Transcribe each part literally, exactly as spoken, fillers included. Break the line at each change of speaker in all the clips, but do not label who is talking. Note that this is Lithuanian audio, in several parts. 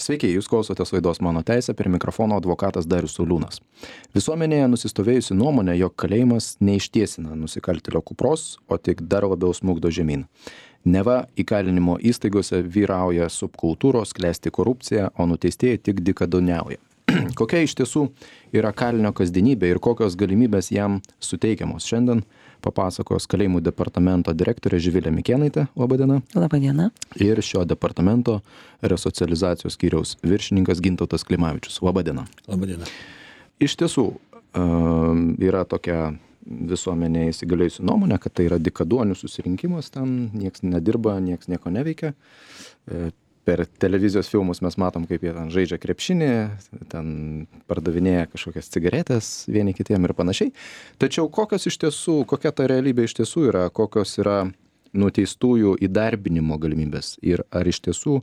Sveiki, jūs klausotės laidos Mano teisė, prie mikrofono advokatas Darius Sauliūnas. Visuomenėje nusistovėjusi nuomonė, jog kalėjimas neištiesina nusikaltėlio kupros, o tik dar labiau smukdo žemyn. Neva įkalinimo įstaigose vyrauja subkultūros, klesti korupcija, o nuteistieji tik dykaduoniauja. Kokia iš tiesų yra kalinio kasdienybė ir kokios galimybės jam suteikiamos? Šiandien papasakos kalėjimų departamento direktorė Živilė Mikėnaitė. Labadiena.
Labadiena.
Ir šio departamento resocializacijos skyriaus viršininkas Gintautas Klimavičius. Labadiena.
Labadiena.
Iš tiesų yra tokia visuomenė įsigalėjusi nuomonė, kad tai yra dykaduonių susirinkimas, ten nieks nedirba, nieks nieko neveikia. Per televizijos filmus mes matom, kaip jie ten žaidžia krepšinį, ten pardavinėja kažkokias cigaretės vieni kitiem ir panašiai. Tačiau kokios iš tiesų, kokia ta realybė iš tiesų yra, kokios yra nuteistųjų įdarbinimo galimybės ir ar iš tiesų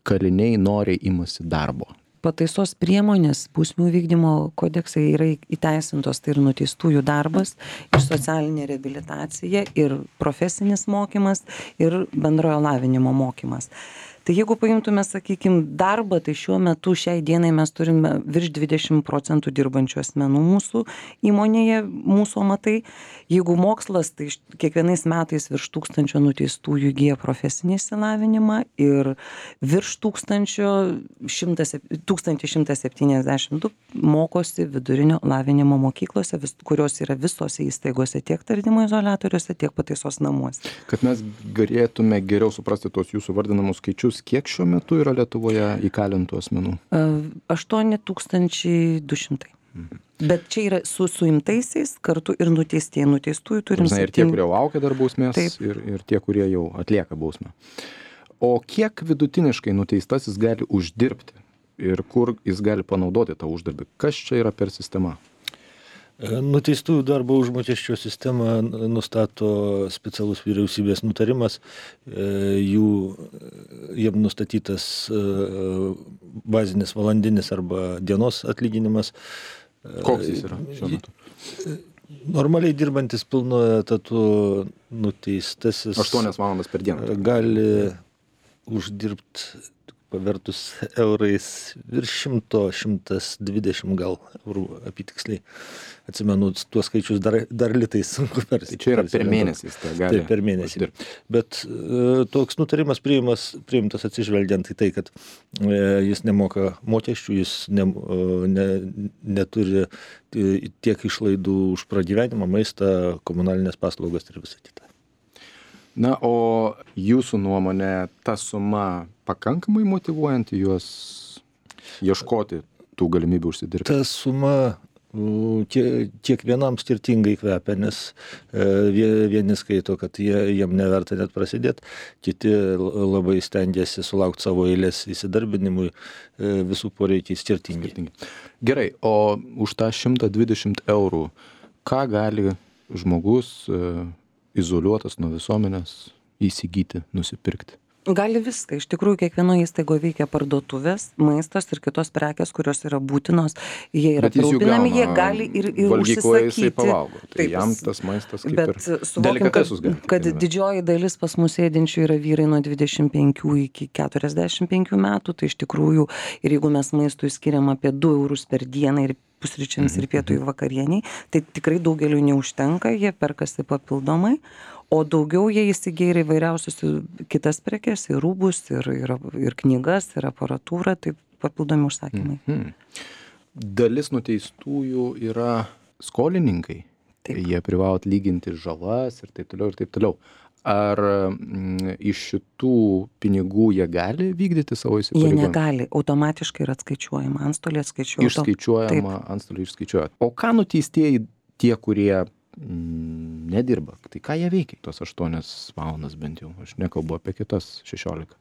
kaliniai noriai imasi darbo?
Pataisos priemonės bausmių vykdymo kodeksai yra įteisintos, tai ir nuteistųjų darbas, ir socialinė reabilitacija, ir profesinis mokymas, ir bendrojo lavinimo mokymas. Tai jeigu paimtume, sakykime, darbą, tai šiuo metu šiai dienai mes turime virš dvidešimt procentų dirbančių asmenų mūsų įmonėje, mūsų amatai. Jeigu mokslas, tai kiekvienais metais virš tūkstančio nuteistųjų įgyja profesinį išsilavinimą ir virš tūkstančio šimtas septyniasdešimt du mokosi vidurinio lavinimo mokyklose, vis, kurios yra visose įstaigose, tiek tardymo izoliatoriuose, tiek pataisos namuose.
Kad mes galėtume geriau suprasti tos jūsų vardinamus skaičius, kiek šiuo metu yra Lietuvoje įkalintų asmenų?
aštuoni tūkstančiai du šimtai. Mhm. Bet čia yra su suimtaisiais kartu ir nuteistieji. Nuteistųjų turim
septyni. Ir tie, kurie laukia dar bausmės, ir, ir tie, kurie jau atlieka bausmę. O kiek vidutiniškai nuteistasis gali uždirbti ir kur jis gali panaudoti tą uždarbį? Kas čia yra per sistema?
Nuteistųjų darbo užmokesčio sistemą nustato specialus vyriausybės nutarimas. Jų, jiem nustatytas bazinis valandinis arba dienos atlyginimas.
Koks jis yra šiuo metu?
Normaliai dirbantis pilnu etatu nuteistasis
aštuonias valandas per dieną
gali uždirbti pavertus eurais virš šimto, šimtas dvidešimt gal eurų apytiksliai. Atsimenu, tuos skaičius dar, dar litais sunku persi.
Tai čia yra per mėnesį.
Tai per mėnesį. Bet e, toks nutarimas priimas, priimtas atsižvelgiant į tai, kad e, jis nemoka mokesčių, jis ne, ne, neturi tiek išlaidų už pragyvenimą, maistą, komunalinės paslaugas ir visą kitą.
Na, o jūsų nuomonė, ta suma pakankamai motyvuojanti juos ieškoti tų galimybių užsidirbti?
Ta suma kiekvienam skirtingai kvepia, nes vieni skaito, kad jie, jiem neverta net prasidėti, kiti labai stengiasi sulaukti savo eilės įsidarbinimui, visų poreikiai skirtingi.
skirtingi. Gerai, o už tą šimtą dvidešimt eurų, ką gali žmogus izoliuotas nuo visuomenės įsigyti, nusipirkti?
Gali viską. Iš tikrųjų, kiekvienoje įstaigoje veikia parduotuvės, maistas ir kitos prekės, kurios yra būtinos. Jie yra aprūpinami, jie gali ir, ir
valgykloje
užsisakyti.
Jisai pavalgo. Tai
Taip,
jam tas maistas kaip
bet
ir
suvokim,
delikatesus gali.
Kad, kad didžioji dalis pas mus sėdinčių yra vyrai nuo dvidešimt penkių iki keturiasdešimt penkių metų. Tai iš tikrųjų, ir jeigu mes maistui skiriam apie du eurus per dieną ir pusryčiams ir pietui vakarieniai, tai tikrai daugeliu neužtenka, jie perkasi papildomai. O daugiau jie įsigyja ir įvairiausius kitas prekes, ir rūbus, ir, ir, ir knygas, ir aparatūrą, tai papildomi užsakymai.
Mhm. Dalis nuteistųjų yra skolininkai. Taip. Jie privalo atlyginti žalas ir taip toliau ir taip toliau. Ar m, iš šitų pinigų jie gali vykdyti savo
Jie
įsipareigojimus?
negali, automatiškai yra atskaičiuojama, antstolė atskaičiuoja.
Išskaičiuojama, antstoliai išskaičiuoja. O ką nuteistieji tie, kurie mm, nedirba? Tai ką jie veikia? Tos aštuonias valandas bent jau. Aš nekalbu apie kitas šešiolika.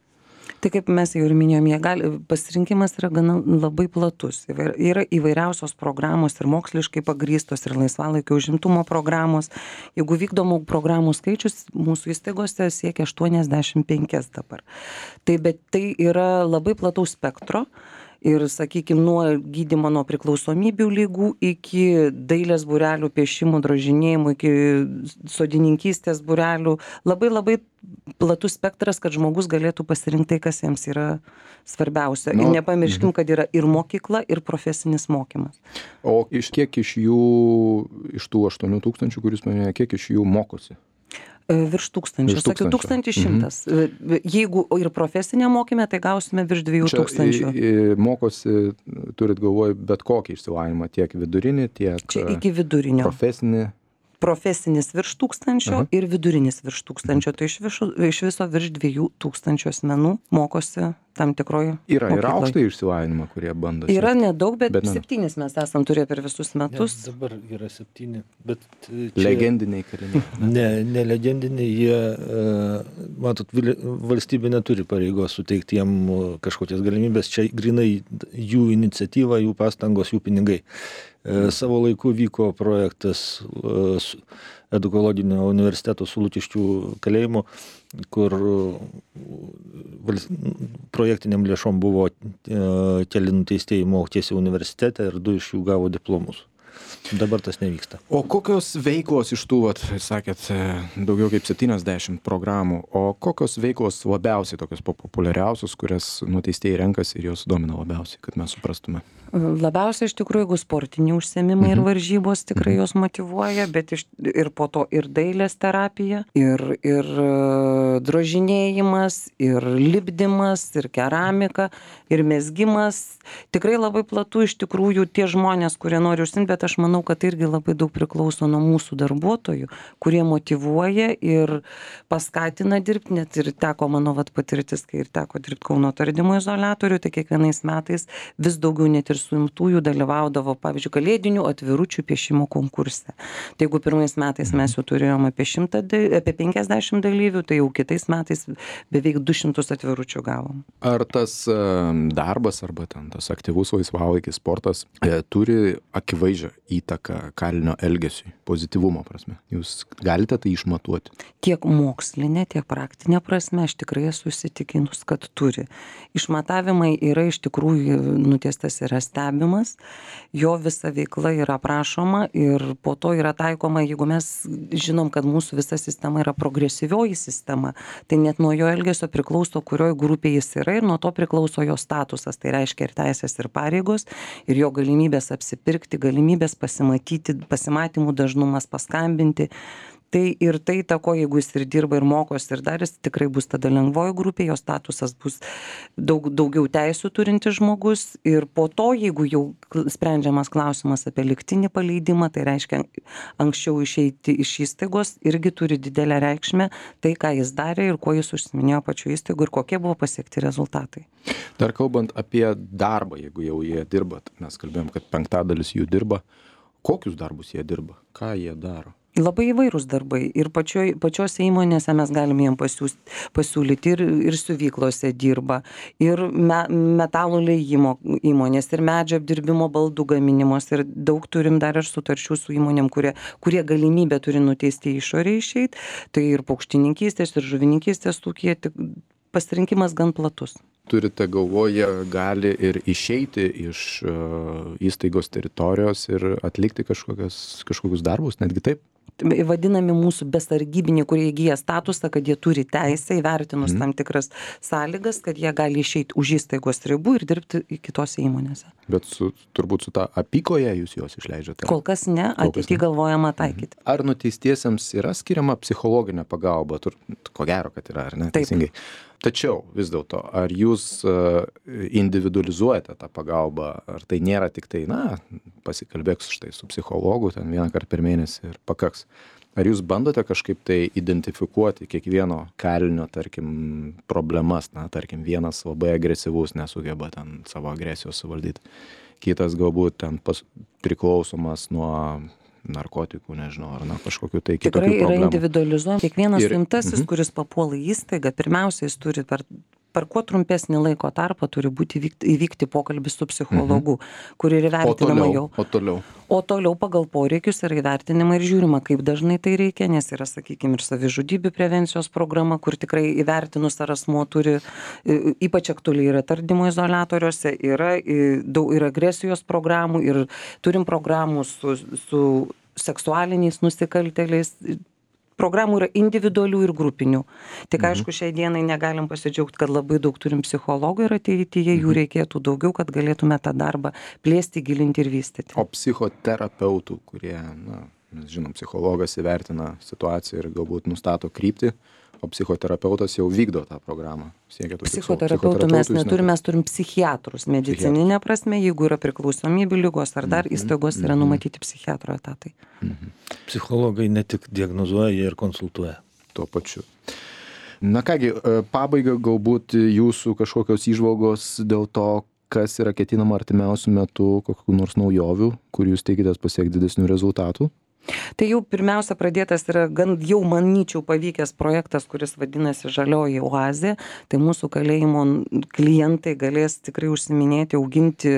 Tai kaip mes jau ir minėjom, jie gali, pasirinkimas yra gana labai platus. Yra įvairiausios programos ir moksliškai pagrįstos, ir laisvalaikio užimtumo programos. Jeigu vykdomų programų skaičius mūsų įstaigose siekia aštuoniasdešimt penki dabar. Tai, bet tai yra labai plataus spektro. Ir, sakykime, nuo gydymo nuo priklausomybių lygų iki dailės būrelių, piešimų, drožinėjimų, iki sodininkystės būrelių. Labai labai platus spektras, kad žmogus galėtų pasirinkti tai, kas jiems yra svarbiausia.
Nu,
Ir nepamirškim, kad yra ir mokykla, ir profesinis mokymas.
O iš kiek iš jų, iš tų aštuonių tūkstančių, kuris minėjo, kiek iš jų mokosi?
Virš tūkstančių.
Virš
Sakiau, tūkstantis šimtas. Mhm. Jeigu ir profesinė mokymė, tai gausime virš dviejų tūkstančių.
Čia i- i- mokosi, turit galvoj, bet kokį išsilavinimą, tiek vidurinį, tiek
Čia iki vidurinio.
profesinį.
Profesinis virš tūkstančio
Aha.
ir vidurinis virš tūkstančio. Tai iš viso, iš viso virš dviejų tūkstančių asmenų mokosi tam tikroje
Yra ir
mokykloj.
aukštą išsilavinimą, kurie bando.
Yra
siekti.
nedaug, bet,
Bet ne.
septynis mes esam turėję per visus metus.
Ne, dabar yra septyni, bet čia...
Legendiniai kaliniai.
Ne, ne legendiniai, jie, e, matot, vili- valstybė neturi pareigos suteikti jiem e, kažkokias galimybės, čia grinai jų iniciatyva, jų pastangos, jų pinigai. E, Savo laiku vyko projektas e, su- Edukologinio universiteto su Lukiškių kalėjimu, kur e, vals- projektiniam lėšom buvo e, keli nuteistieji mokėsi universitete ir du iš jų gavo diplomus. Dabar tas nevyksta.
O kokios veiklos iš tų, vat, sakėt, e, daugiau kaip septyniasdešimt programų, o kokios veiklos labiausiai, tokios populiariausios, kurias nuteistieji renkasi ir jos domina labiausiai, kad mes suprastume?
Labiausiai iš tikrųjų, jeigu sportiniai užsiėmimai ir varžybos tikrai jos motyvuoja, bet iš, ir po to ir dailės terapija, ir, ir e, drožinėjimas, ir lipdymas, ir keramika, ir mezgimas. Tikrai labai platu iš tikrųjų tie žmonės, kurie nori užsiimti, bet aš manau, kad irgi labai daug priklauso nuo mūsų darbuotojų, kurie motyvuoja ir paskatina dirbti. Net ir teko mano vat, patirtis, kai ir teko dirbti Kauno tardymo izoliatorių, tai kiekvienais metais vis daugiau net ir suimtųjų dalyvaudavo, pavyzdžiui, kalėdinių atviručių piešimo konkurse. Tai jeigu pirmais metais mes jau turėjome apie, šimtą, apie penkiasdešimt dalyvių, tai jau kitais metais beveik du šimtus atviručių gavom.
Ar tas e, darbas arba ten tas aktyvus laisvalaikis sportas e, turi akivaizdžią įtaką kalinio elgesiui, pozityvumo prasme? Jūs galite tai išmatuoti?
Tiek mokslinė, tiek praktinė prasme aš tikrai esu įsitikinus, kad turi. Išmatavimai yra iš tikrųjų nuteistas yra stebimas, jo visa veikla yra aprašoma ir po to yra taikoma, jeigu mes žinom, kad mūsų visa sistema yra progresyvioji sistema, tai net nuo jo elgesio priklauso, kurioj grupėje jis yra ir nuo to priklauso jo statusas, tai reiškia ir teisės, ir pareigos, ir jo galimybės apsipirkti, galimybės pasimatyti, pasimatymų dažnumas, paskambinti. Tai ir tai tako, jeigu jis ir dirba ir mokosi ir dar jis tikrai bus tada lengvoji grupė, jo statusas bus daug, daugiau teisų turintis žmogus ir po to, jeigu jau sprendžiamas klausimas apie lygtinį paleidimą, tai reiškia anksčiau išeiti iš įstaigos, irgi turi didelę reikšmę tai, ką jis darė ir kuo jis užsiminėjo pačiu įstaigu ir kokie buvo pasiekti rezultatai.
Dar kalbant apie darbą, jeigu jau jie dirba, mes kalbėjom, kad penktadalis jų dirba, kokius darbus jie dirba, ką jie daro?
Labai įvairūs darbai ir pačioj, pačiose įmonėse mes galime jiem pasiūs, pasiūlyti ir, ir siuvyklose dirba, ir me, metalų liejimo įmonės, ir medžio apdirbimo baldų gaminimos, ir daug turim dar ir sutarčių su įmonėm, kurie, kurie galimybę turi nuteisti išorę išeiti, tai ir paukštininkystės, ir žuvininkystės tūkie, tik pasirinkimas gan platus.
Turite galvoje, gali ir išeiti iš uh, įstaigos teritorijos ir atlikti kažkokius, kažkokius darbus, netgi taip?
Vadinami mūsų besargybiniai, kurie įgyja statusą, kad jie turi teisę įvertinus
Mhm.
tam tikras sąlygas, kad jie gali išeiti už įstaigos ribų ir dirbti kitose įmonėse.
Bet su, turbūt su ta apykoje jūs juos išleidžiate?
Kol kas ne,
Kol kas
ateityje
ne.
galvojama taikyti.
Ar nuteistiesiems yra skiriama psichologinė pagalba? Tur, ko gero, kad yra, ar ne?
Taip.
Teisingai. Tačiau vis dėlto, ar jūs uh, individualizuojate tą pagalbą, ar tai nėra tik tai, na, pasikalbėk štai su psichologu ten vieną kartą per mėnesį ir pakaks. Ar jūs bandote kažkaip tai identifikuoti kiekvieno kalinio, tarkim, problemas, na, tarkim, vienas labai agresyvus nesugeba ten savo agresijos suvaldyti, kitas galbūt ten pas, priklausomas nuo narkotikų, nežinau, ar na, kažkokiu tai kitokių
Tikrai yra
problemų.
individualizuojama. Kiekvienas
Ir-
suimtasis,
mhm.
kuris papuola į įstaigą, pirmiausia, jis turi per per kuo trumpesnį laiko tarpą turi būti įvykti, įvykti pokalbis su psichologu, mhm. kur ir
O
įvertinama
toliau,
jau.
o toliau.
O toliau pagal poreikius yra įvertinama ir žiūrima, kaip dažnai tai reikia, nes yra, sakykime, ir savižudybių prevencijos programa, kur tikrai įvertinus ar asmuo turi, ypač aktualiai yra tardymo izoliatoriuose, yra daug ir agresijos programų, ir turim programų su, su seksualiniais nusikaltėliais. Programų yra individualių ir grupinių. Tik mhm. aišku, šiai dienai negalim pasidžiaugti, kad labai daug turim psichologų ir ateityje jų reikėtų daugiau, kad galėtume tą darbą plėsti, gilinti ir vystyti.
O psichoterapeutų, kurie, na, mes žinom, psichologas įvertina situaciją ir galbūt nustato kryptį, o psichoterapeutas jau vykdo tą programą.
Psichoterapeutų mes neturim, mes turim psichiatrus. Medicininė prasme, jeigu yra priklausomybių lygos ar dar įstaigos, yra numatyti psichiatro etatai.
Mhm. Psichologai ne tik diagnozuoja, jie ir konsultuoja.
Tuo pačiu. Na kągi, pabaiga galbūt jūsų kažkokios įžvalgos dėl to, kas yra ketinama artimiausių metų, kokių nors naujovių, kur jūs tikitės pasiekti didesnių rezultatų.
Tai jau pirmiausia pradėtas yra gan jau manyčiau pavykęs projektas, kuris vadinasi Žalioji oazė. Tai mūsų kalėjimo klientai galės tikrai užsiminėti, auginti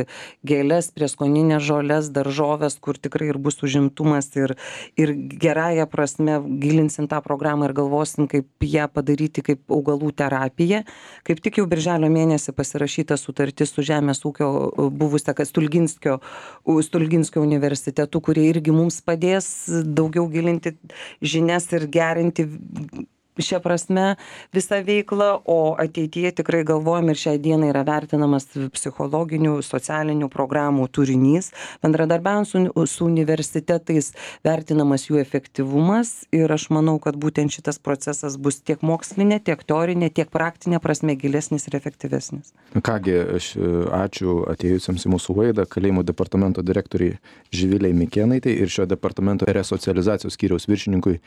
gėles, prieskoninės žoles, daržoves, kur tikrai ir bus užimtumas ir, ir gerąją prasme gilinsim tą programą ir galvosim, kaip ją padaryti kaip augalų terapiją. Kaip tik jau birželio mėnesį pasirašyta sutartis su Žemės ūkio buvusia Stulginskio, Stulginskio universitetu, kurie irgi mums padės daugiau gilinti žinias ir gerinti šią prasme visą veiklą, o ateityje tikrai galvojam ir šiai dienai yra vertinamas psichologinių, socialinių programų turinys, bendradarbiaujant su, su universitetais vertinamas jų efektyvumas ir aš manau, kad būtent šitas procesas bus tiek mokslinė, tiek teorinė, tiek praktinė prasme gilesnis ir efektyvesnis.
Kągi, aš ačiū atėjusiems į mūsų laidą, kalėjimų departamento direktoriai Živilei Mikėnaitei ir šio departamento resocializacijos skyriaus viršininkui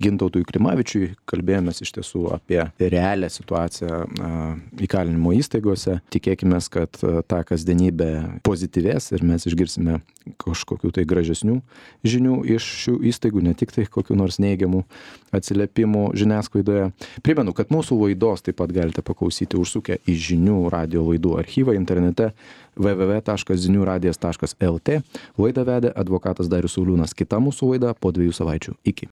Gintautui Klimavičiui. Kalbėjomės iš tiesų apie realią situaciją įkalinimo įstaigose. Tikėkime, kad ta kasdienybė pozityvės ir mes išgirsime kažkokių tai gražesnių žinių iš šių įstaigų, ne tik tai kokių nors neigiamų atsiliepimų žiniasklaidoje. Primenu, kad mūsų laidos taip pat galite paklausyti užsukę į žinių radio laidų archyvą internete w w w taškas zinių radijas taškas l t. Laidą vedė advokatas Darius Sauliūnas. Kita mūsų laida po dviejų savaičių. Iki.